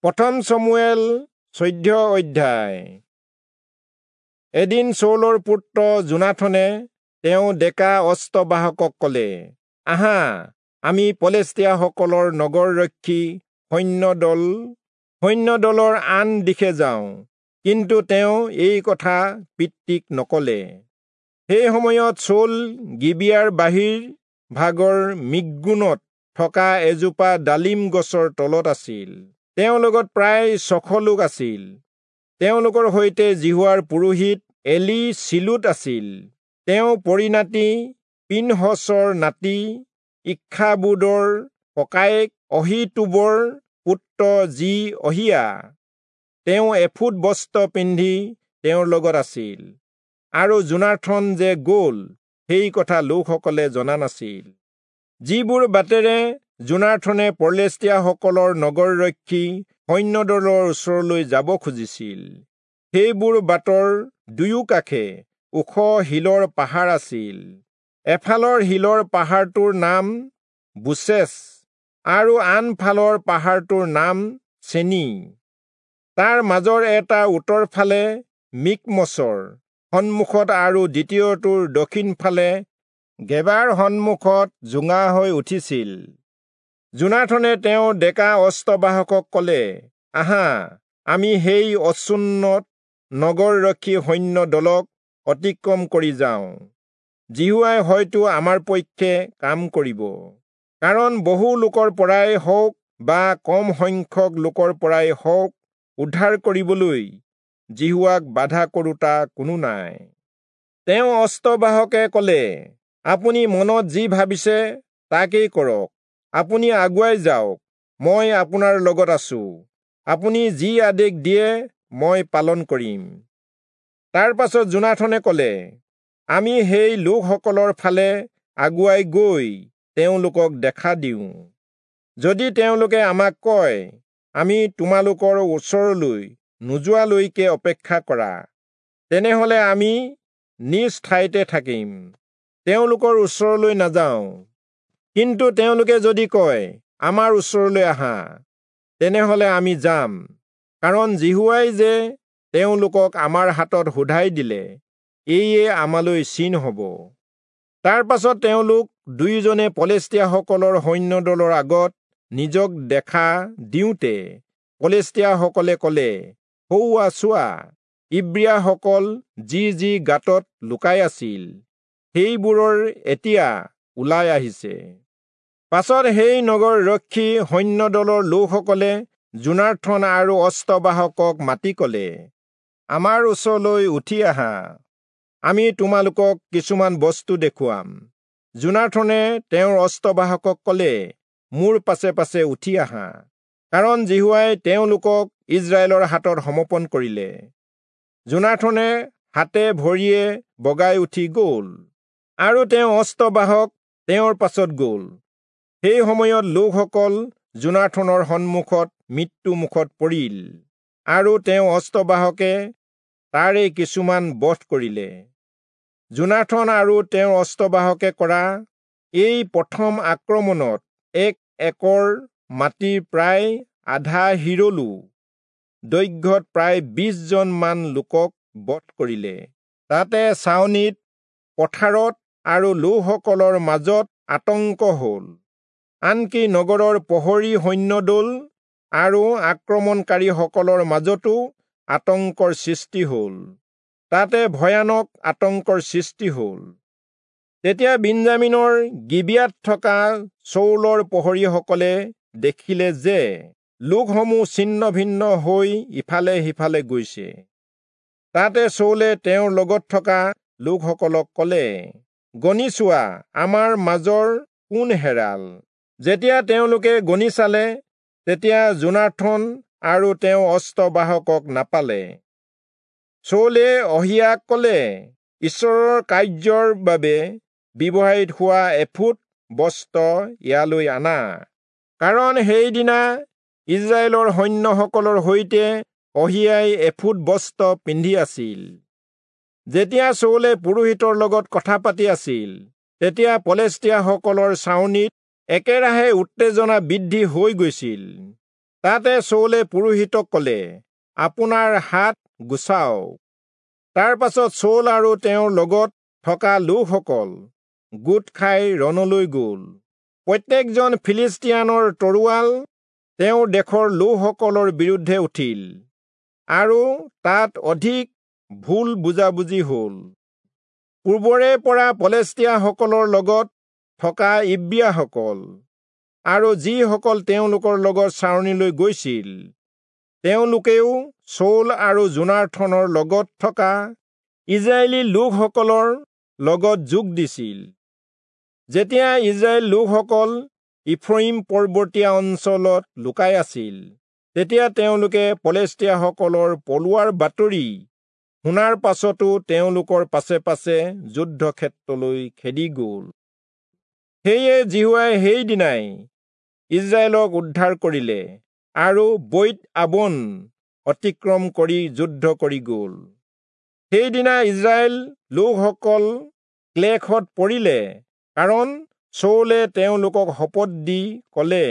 প্ৰথম চমুৱেল 14 অধ্যায়। এদিন চৌলৰ পুত্ৰ যোনাথনে তেওঁ ডেকা অস্ত্ৰবাহকক কলে, আহা, আমি পলেষ্টীয়াসকলৰ নগৰৰক্ষী সৈন্যদলৰ আন দিশে যাওঁ। কিন্তু তেওঁ এই কথা পিতৃক নকলে। সেই সময়ত চৌল গিবিয়াৰ বাহিৰ ভাগৰ মিগ্ৰোনত থকা এজোপা ডালিম গছৰ তলত আছিল। তেওঁৰ লগত প্ৰায় 600 লোক আছিল। তেওঁলোকৰ সৈতে যিহোৱাৰ পুৰোহিত এলি চিলোত আছিল। তেওঁ পৰিনাতি পিনহচৰ নাতি ইক্ষাবোদৰ ককায়েক অহীতূবৰ পুত্ৰ যি অহিয়া। তেওঁ এফুট বস্ত্ৰ পিন্ধি তেওঁৰ লগত আছিল। আৰু যোনাথন যে গল সেই কথা লোকসকলে জনা নাছিল। যিবোৰ বাটেৰে যোনাথনে পলেষ্টীয়াসকলৰ নগৰৰক্ষী সৈন্যদলৰ ওচৰলৈ যাব খুজিছিল, সেইবোৰ বাটৰ দুয়োকাষে ওখ শিলৰ পাহাৰ আছিল। এফালৰ শিলৰ পাহাৰটোৰ নাম বোচেচ আৰু আনফালৰ পাহাৰটোৰ নাম চেনি। তাৰ মাজৰ এটা উত্তৰ ফালে মিকমচৰ সন্মুখত আৰু দ্বিতীয়টোৰ দক্ষিণ ফালে গেবাৰ সন্মুখত জোঙা হৈ উঠিছিল। যোনাথনে তেওঁ ডেকা অস্ত্ৰবাহকক কলে, আহা, আমি সেই অচুন্নত নগৰৰক্ষী সৈন্য দলক অতিক্ৰম কৰি যাওঁ। যিহোৱাই হয়তো আমাৰ পক্ষে কাম কৰিব, কাৰণ বহু লোকৰ পৰাই হওক বা কম সংখ্যক লোকৰ পৰাই হওক উদ্ধাৰ কৰিবলৈ যিহোৱাক বাধা কৰোতা কোনো নাই। তেওঁ অস্ত্ৰবাহকে কলে, আপুনি মনত যি ভাবিছে তাকেই কৰক। আপুনি আগুৱাই যাওক, মই আপোনাৰ লগত আছো। আপুনি যি আদেশ দিয়ে মই পালন কৰিম। তাৰ পাছত যোনাথনে কলে, আমি সেই লোকসকলৰ ফালে আগুৱাই গৈ তেওঁলোকক দেখা দিওঁ। যদি তেওঁলোকে আমাক কয়, আমি তোমালোকৰ ওচৰলৈ নোযোৱালৈকে অপেক্ষা কৰা, তেনেহলে আমি নিজ ঠাইতে থাকিম, তেওঁলোকৰ ওচৰলৈ নাযাওঁ। কিন্তু তেওঁলোকে যদি কয়, আমাৰ ওচৰলৈ আহা, তেনেহলে আমি যাম, কাৰণ যিহোৱাই যে তেওঁলোকক আমাৰ হাতত শোধাই দিলে, এইয়ে আমালৈ চিন হব। তাৰ পাছত তেওঁলোক দুয়োজনে পলেষ্টীয়াসকলৰ সৈন্যদলৰ আগত নিজক দেখা দিওঁতে পলেষ্টীয়াসকলে কলে, সৌৱা চোৱা, ইব্ৰীয়াসকল যি যি গাঁতত লুকাই আছিল সেইবোৰৰ এতিয়া ওলাই আহিছে। পাছত সেই নগৰ ৰক্ষী সৈন্যদলৰ লোকসকলে যোনাথন আৰু অস্ত্ৰবাহকক মাতি কলে, আমাৰ ওচৰলৈ উঠি আহা, আমি তোমালোকক কিছুমান বস্তু দেখুৱাম। যোনাথনে তেওঁৰ অস্ত্ৰবাহকক কলে, মোৰ পাছে পাছে উঠি আহা, কাৰণ যিহোৱাই তেওঁলোকক ইজৰাইলৰ হাতত সমৰ্পণ কৰিলে। যোনাথনে হাতে ভৰিয়ে বগাই উঠি গল আৰু তেওঁ অস্ত্ৰবাহক তেওঁৰ পাছত গল। সেই সময়ত লোকসকল যোনাথনৰ সন্মুখত মৃত্যু মুখত পৰিল আৰু তেওঁ অস্ত্ৰবাহকে তাৰে কিছুমান বধ কৰিলে। যোনাথন আৰু তেওঁৰ অস্ত্ৰবাহকে কৰা এই প্ৰথম আক্ৰমণত 1 একৰ মাটিৰ প্ৰায় আধা হিৰলু দৈৰ্ঘ্যত প্ৰায় 20 জন মান লোকক বধ কৰিলে। তাতে ছাউনিত, পথাৰত আৰু লোকসকলৰ মাজত আতংক হল। আনকি নগৰৰ প্ৰহৰী সৈন্যদল আৰু আক্ৰমণকাৰীসকলৰ মাজতো আতংকৰ সৃষ্টি হল। তাতে ভয়ানক আতংকৰ সৃষ্টি হল। তেতিয়া বিন্যামীনৰ গিবিয়াত থকা চৌলৰ প্ৰহৰীসকলে দেখিলে যে লোকসমূহ ছিন্ন ভিন্ন হৈ ইফালে সিফালে গৈছে। তাতে চৌলে তেওঁৰ লগত থকা লোকসকলক কলে, গণি চোৱা, আমাৰ মাজৰ কোন হেৰাল। যেতিয়া তেওঁলোকে গণি চালে, তেতিয়া যোনাথন আৰু তেওঁ অস্ত্ৰবাহকক নাপালে। চৌলে অহিয়াক কলে, ঈশ্বৰৰ কাৰ্যৰ বাবে ব্যৱহৃত হোৱা এফুট বস্ত্ৰ ইয়ালৈ আনা, কাৰণ সেইদিনা ইজৰাইলৰ সৈন্যসকলৰ সৈতে অহিয়াই এফুট বস্ত্ৰ পিন্ধি আছিল। যেতিয়া চৌলে পুৰোহিতৰ লগত কথা পাতি আছিল, তেতিয়া পলেষ্টীয়াসকলৰ ছাউনিত একেৰাহে উত্তেজনা বৃদ্ধি হৈ গৈছিল। তাতে চৌলে পুৰোহিতক কলে, আপোনাৰ হাত গুচাওক। তাৰ পাছত চৌল আৰু তেওঁৰ লগত থকা লোকসকল গোট খাই ৰণলৈ গল। প্ৰত্যেকজন ফিলিষ্টিয়ানৰ তৰোৱাল তেওঁৰ দেশৰ লোকসকলৰ বিৰুদ্ধে উঠিল আৰু তাত অধিক ভুল বুজাবুজি হল। পূৰ্বৰে পৰা পলেষ্টীয়াসকলৰ লগত থকা ইব্ৰীয়াসকল আৰু যিসকল তেওঁলোকৰ লগত চাৰণিলৈ গৈছিল, তেওঁলোকেও চৌল আৰু যোনাথনৰ লগত থকা ইজৰাইলী লোকসকলৰ লগত যোগ দিছিল। যেতিয়া ইজৰাইল লোকসকল ইফ্ৰয়িম পৰ্বতীয়া অঞ্চলত লুকাই আছিল, তেতিয়া তেওঁলোকে পলেষ্টীয়াসকলৰ পলোৱাৰ বাতৰি শুনাৰ পাছতো তেওঁলোকৰ পাছে পাছে যুদ্ধক্ষেত্ৰলৈ খেদি গ'ল। সেয়ে যিহোৱাই সেইদিনাই ইজৰাইলক উদ্ধাৰ কৰিলে আৰু বৈৎ আবন অতিক্ৰম কৰি যুদ্ধ কৰি গ'ল। সেইদিনা ইজৰাইল লোকসকল ক্লেশত পৰিলে, কাৰণ চৌলে তেওঁলোকক শপত দি ক'লে,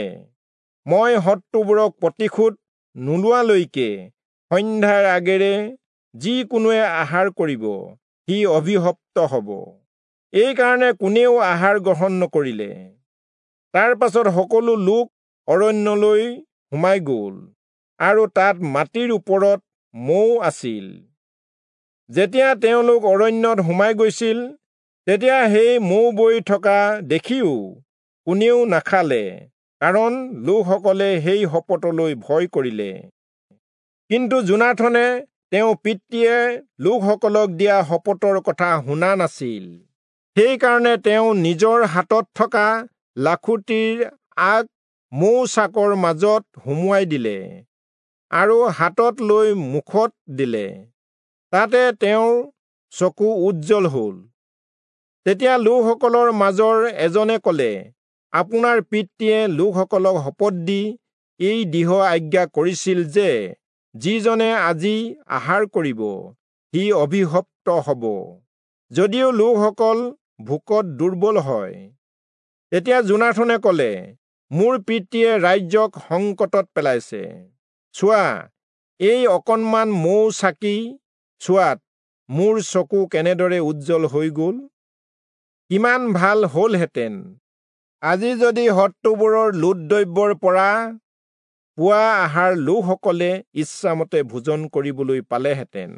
মই শত্ৰুবোৰক প্ৰতিশোধ নোলোৱালৈকে সন্ধ্যাৰ আগেৰে যিকোনোৱে আহাৰ কৰিব, সি অভিশপ্ত হ'ব। এইকাৰণে কোনেও আহাৰ গ্ৰহণ নকৰিলে। তাৰ পাছত সকলো লোক অৰণ্যলৈ সোমাই গ'ল আৰু তাত মাটিৰ ওপৰত মৌ আছিল। যেতিয়া তেওঁলোক অৰণ্যত সোমাই গৈছিল, তেতিয়া সেই মৌ বৈ থকা দেখিও কোনেও নাখালে, কাৰণ লোকসকলে সেই শপতলৈ ভয় কৰিলে। কিন্তু যোনাথনে তেওঁ পিতৃয়ে লোকসকলক দিয়া শপতৰ কথা শুনা নাছিল। সেইকাৰণে তেওঁ নিজৰ হাতত থকা লাখুটিৰ আগ মৌ চাকৰ মাজত সুমুৱাই দিলে আৰু হাতত লৈ মুখত দিলে। তাতে তেওঁৰ চকু উজ্জ্বল হ'ল। তেতিয়া লোকসকলৰ মাজৰ এজনে ক'লে, আপোনাৰ পিতৃয়ে লোকসকলক শপত দি এই দৃঢ় আজ্ঞা কৰিছিল যে, যিজনে আজি আহাৰ কৰিব, সি অভিশপ্ত হ'ব, যদিও লোকসকল ভোকত দুৰ্বল হয়। তেতিয়া যোনাথনে ক'লে, মোৰ পিতৃয়ে ৰাজ্যক সংকটত পেলাইছে। চোৱা, এই অকণমান মৌ চাকি চোৱাত মোৰ চকু কেনেদৰে উজ্জ্বল হৈ গ'ল। কিমান ভাল হ'লহেঁতেন আজি যদি শত্ৰুবোৰৰ লুট দ্ৰব্যৰ পৰা পোৱা আহাৰ লোকসকলে ইচ্ছামতে ভোজন কৰিবলৈ পালেহেঁতেন।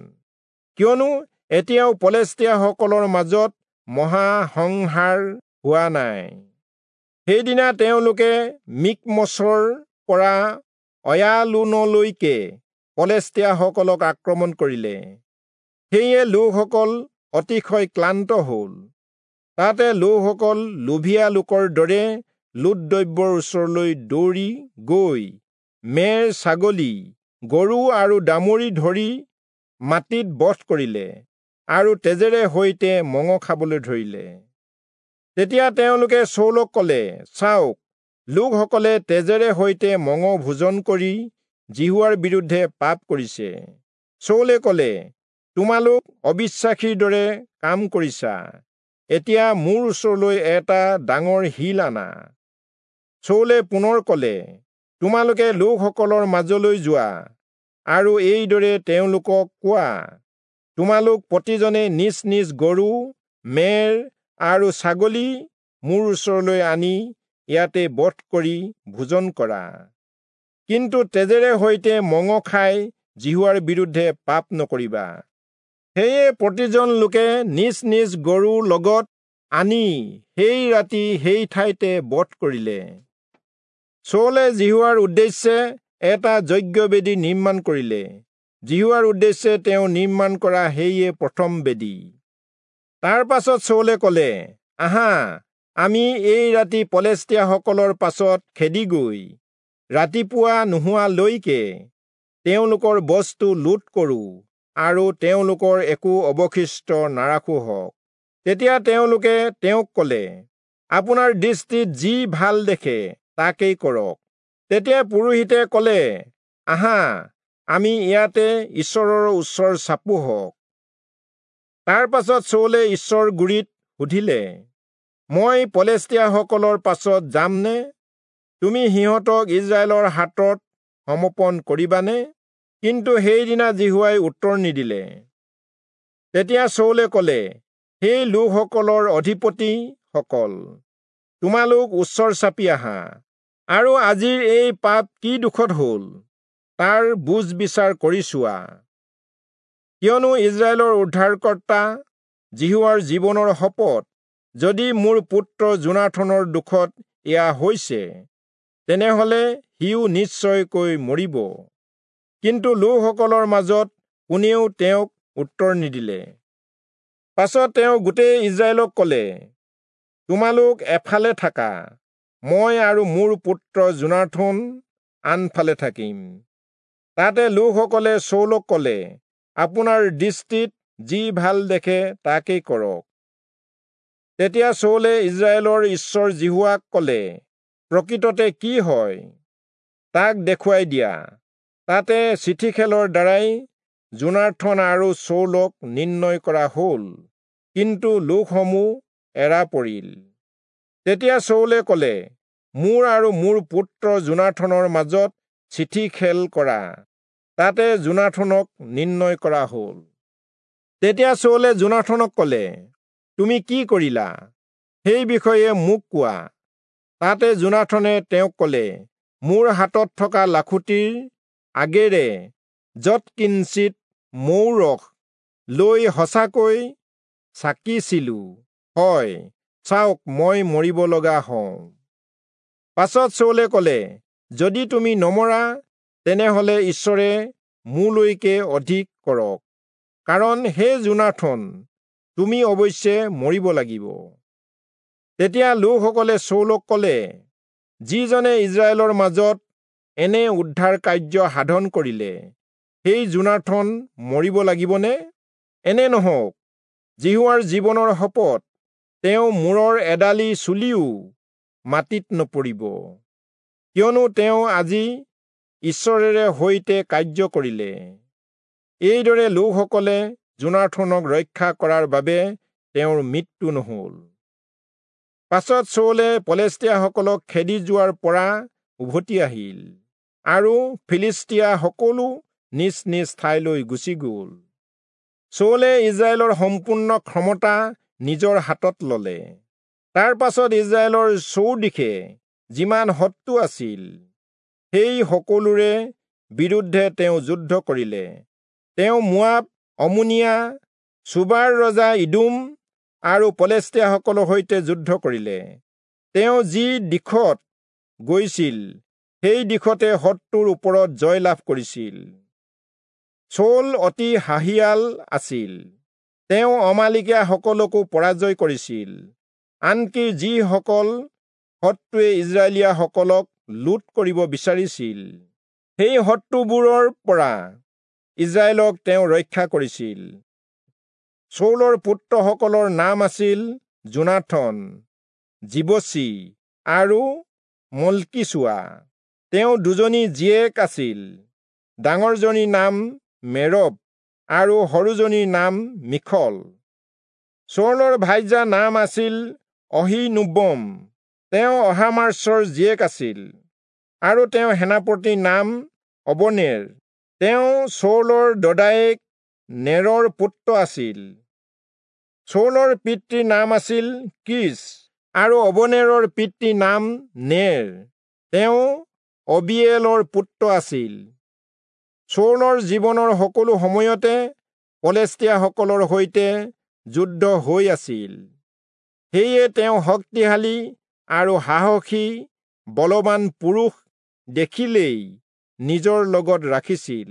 কিয়নো এতিয়াও পলেষ্টীয়াসকলৰ মাজত মহাসংহাৰ হোৱা নাই। সেইদিনা তেওঁলোকে মিকমচৰ পৰা অয়ালোনলৈকে পলেষ্টীয়াসকলক আক্ৰমণ কৰিলে। সেয়ে লোকসকল অতিশয় ক্লান্ত হ'ল। তাতে লোকসকল লোভীয়া লোকৰ দৰে লুট দ্ৰব্যৰ ওচৰলৈ দৌৰি গৈ মেৰ, ছাগলী, গৰু আৰু দামুৰি ধৰি মাটিত বধ কৰিলে আৰু তেজেৰে সৈতে মঙহ খাবলৈ ধৰিলে। তেতিয়া তেওঁলোকে চৌলক ক'লে, চাওক, লোকসকলে তেজেৰে সৈতে মঙহ ভোজন কৰি যিহোৱাৰ বিৰুদ্ধে পাপ কৰিছে। চৌলে ক'লে, তোমালোক অবিশ্বাসীৰ দৰে কাম কৰিছা। এতিয়া মোৰ ওচৰলৈ এটা ডাঙৰ শিল আনা। চৌলে পুনৰ ক'লে, তোমালোকে লোকসকলৰ মাজলৈ যোৱা আৰু এইদৰে তেওঁলোকক কোৱা, তোমালোক প্ৰতিজনে নিজ নিজ গৰু, মেৰ আৰু ছাগলী মোৰ ওচৰলৈ আনি ইয়াতে বধ কৰি ভোজন কৰা। কিন্তু তেজেৰে সৈতে মঙহ খাই যিহোৱাৰ বিৰুদ্ধে পাপ নকৰিবা। সেয়ে প্ৰতিজন লোকে নিজ নিজ গৰু লগত আনি সেই ৰাতি সেই ঠাইতে বধ কৰিলে। চৌলে যিহোৱাৰ উদ্দেশ্যে এটা যজ্ঞবেদী নিৰ্মাণ কৰিলে। যিহোৱাৰ উদ্দেশ্যে তেওঁ নিৰ্মাণ কৰা সেয়ে প্ৰথম বেদী। তাৰ পাছত চৌলে ক'লে, আহা, আমি এই ৰাতি পলেষ্টীয়াসকলৰ পাছত খেদি গৈ ৰাতিপুৱা নোহোৱালৈকে তেওঁলোকৰ বস্তু লুট কৰোঁ আৰু তেওঁলোকৰ একো অৱশিষ্ট নাৰাখোঁ হওক। তেতিয়া তেওঁলোকে তেওঁক ক'লে, আপোনাৰ দৃষ্টিত যি ভাল দেখে তাকেই কৰক। তেতিয়া পুৰোহিতে ক'লে, আহা, আমি ইয়াতে ঈশ্বৰৰ ওচৰ চাপোহঁক। তাৰ পাছত চৌলে ঈশ্বৰ গুৰিত সুধিলে, মই পলেষ্টীয়াসকলৰ পাছত যামনে? তুমি সিহঁতক ইজৰাইলৰ হাতত সমৰ্পণ কৰিবানে? কিন্তু সেইদিনা যিহোৱাই উত্তৰ নিদিলে। তেতিয়া চৌলে কলে, সেই লোকসকলৰ অধিপতিসকল, তোমালোক ওচৰ চাপি আহা, আৰু আজিৰ এই পাপ কি দুখত হল তাৰ বুজ বিচাৰ কৰি চোৱা। কিয়নো ইস্ৰায়েলৰ উদ্ধাৰকৰ্তা যিহোৱাৰ জীৱনৰ শপত, যদি মোৰ পুত্ৰ যোনাথনৰ দুখত এয়া হৈছে, তেনেহলে সিও নিশ্চয়কৈ মৰিব। কিন্তু লোকসকলৰ মাজত কোনেও তেওঁক উত্তৰ নিদিলে। পাছত তেওঁ গোটেই ইস্ৰায়েলক কলে, তোমালোক এফালে থাকা, মই আৰু মোৰ পুত্ৰ যোনাথন আনফালে থাকিম। তাতে লোকসকলে চৌলক কলে, আপোনাৰ দৃষ্টিত যি ভাল দেখে তাকেই কৰক। তেতিয়া চৌলে ইস্ৰায়েলৰ ঈশ্বৰ যিহোৱাক কলে, প্ৰকৃততে কি হয় তাক দেখুৱাই দিয়া। তাতে চিঠি খেলৰ দ্বাৰাই যোনাথন আৰু চৌলক নিৰ্ণয় কৰা হল, কিন্তু লোকসমূহ এৰা পৰিল। তেতিয়া চৌলে কলে, মোৰ আৰু মোৰ পুত্ৰ যোনাথনৰ মাজত চিঠি খেল কৰা। তাতে যোনাথনক নিৰ্ণয় কৰা হল। তেতিয়া চৌলে যোনাথনক কলে, তুমি কি কৰিলা সেই বিষয়ে মোক কোৱা। তাতে যোনাথনে তেওঁক কলে, মোৰ হাতত থকা লাখুটিৰ আগেৰে যৎকিঞ্চিত মৌৰস লৈ সঁচাকৈ চাকিছিলো, হয়, চাওক, মই মৰিব লগা হওঁ। পাছত চৌলে কলে, যদি তুমি নমৰা, তেনেহলে ঈশ্বৰে মোলৈকে অধিক কৰক, কাৰণ হে যোনাথন, তুমি অৱশ্যে মৰিব লাগিব। তেতিয়া লোকসকলে চৌলক কলে, যিজনে ইস্ৰায়েলৰ মাজত এনে উদ্ধাৰ কাৰ্য সাধন কৰিলে, সেই যোনাথন মৰিব লাগিবনে? এনে নহওক, যিহোৱাৰ জীৱনৰ শপত, তেওঁ মূৰৰ এডালি চুলিও মাটিত নপৰিব, কিয়নো তেওঁ আজি ঈশ্বৰেৰে সৈতে কাৰ্য কৰিলে। এইদৰে লোকসকলে যোনাথনক ৰক্ষা কৰাৰ বাবে তেওঁৰ মৃত্যু নহল। পাছত চৌলে পলেষ্টীয়াসকলক খেদি যোৱাৰ পৰা উভতি আহিল, আৰু ফিলিষ্টীয়া সকলো নিজ নিজ ঠাইলৈ গুচি গল। চৌলে ইস্ৰায়েলৰ সম্পূৰ্ণ ক্ষমতা নিজৰ হাতত ললে। তাৰ পাছত ইস্ৰায়েলৰ চৌদিশে যিমান শত্ৰু আছিল, সেই সকলোৰে বিৰুদ্ধে তেওঁ যুদ্ধ কৰিলে। তেওঁ মোৱাব, অমোনীয়া, চোবাৰ ৰজা ইদোম আৰু পলেষ্টীয়াসকলৰ সৈতে যুদ্ধ কৰিলে। তেওঁ যি দিশত গৈছিল, সেই দিশতে শত্ৰুৰ ওপৰত জয় লাভ কৰিছিল। চৌল অতি সাহিয়াল আছিল। তেওঁ অমালিকীয়াসকলকো পৰাজয় কৰিছিল, আনকি যিসকল শত্ৰুৱে ইস্ৰায়েলীয়াসকলক লুট কৰিব বিচাৰিছিল, সেই শত্ৰুবোৰৰ পৰা ইস্ৰায়েলক তেওঁ ৰক্ষা কৰিছিল। চৌলৰ পুত্ৰসকলৰ নাম আছিল যোনাথন, যিবচি আৰু মল্কীচুৱা। তেওঁ দুজনী জীয়েক আছিল, ডাঙৰজনীৰ নাম মেৰব আৰু সৰুজনীৰ নাম মিখল। চৌলৰ ভাৰ্যাৰ নাম আছিল অহীনোৱম, তেওঁ অহীমাচৰ জীয়েক আছিল, আৰু তেওঁ সেনাপতিৰ নাম অবনেৰ। তেওঁ চৌলৰ দদায়েক নেৰৰ পুত্ৰ আছিল। চৌলৰ পিতৃৰ নাম আছিল কীচ, আৰু অবনেৰৰ পিতৃৰ নাম নেৰ, তেওঁ অবিয়েলৰ পুত্ৰ আছিল। চৌলৰ জীৱনৰ সকলো সময়তে পলেষ্টীয়াসকলৰ সৈতে যুদ্ধ হৈ আছিল। সেয়ে তেওঁ শক্তিশালী আৰু সাহসী বলৱান পুৰুষ দেখিলেই নিজৰ লগত ৰাখিছিল।